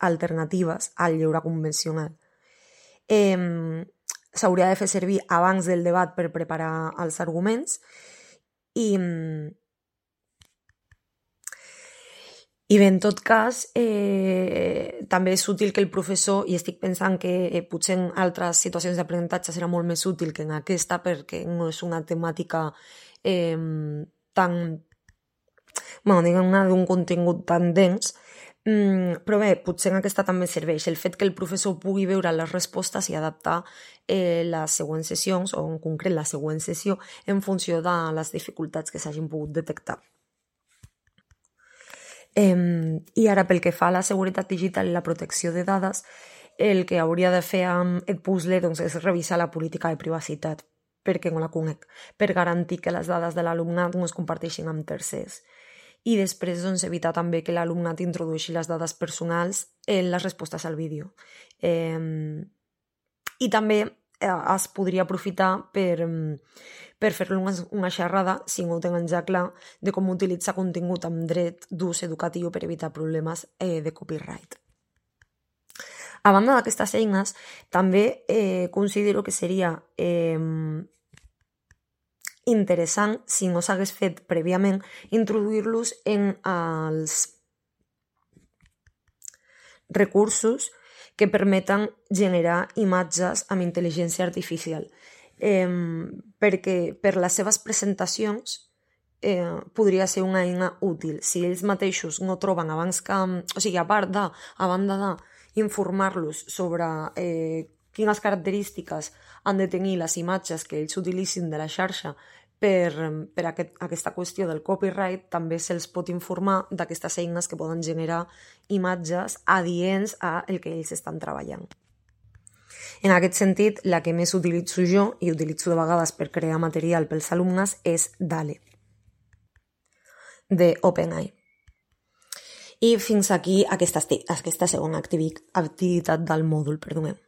alternatives al lleure convencional. S'hauria de fer servir abans del debat per preparar els arguments i bé, en tot cas, també és útil que el professor, i estic pensant que potser en altres situacions d'aprenentatge serà molt més útil que en aquesta, perquè no és una temàtica tan, diguem-ne, d'un contingut tan dens, però bé, potser en aquesta també serveix el fet que el professor pugui veure les respostes i adaptar les següents sessions, o en concret la següent sessió, en funció de les dificultats que s'hagin pogut detectar. I ara, pel que fa a la seguretat digital i la protecció de dades, el que hauria de fer amb el puzzle és revisar la política de privacitat, perquè no la conec, per garantir que les dades de l'alumnat no es comparteixin amb tercers. I després evitar també que l'alumnat introdueixi les dades personals en les respostes al vídeo. I també es podria aprofitar per fer-lo una xerrada, si no ho tenen ja clar, de com utilitzar contingut amb dret d'ús educatiu per evitar problemes de copyright. A banda d'aquestes eines, també considero que seria interessant, si no s'hagués fet prèviament, introduir-los en els recursos que permeten generar imatges amb intel·ligència artificial, perquè per les seves presentacions podria ser una eina útil. Si ells mateixos no troben abans que... O sigui, a banda d'informar-los sobre quines característiques han de tenir les imatges que ells utilitzin de la xarxa per aquesta qüestió del copyright, també se'ls pot informar d'aquestes eines que poden generar imatges adients a el que ells estan treballant. En aquest sentit, la que més utilitzo jo, i utilitzo de vegades per crear material pels alumnes, és DALL-E, de OpenAI. I fins aquí aquesta segona activitat del mòdul, perdoneu.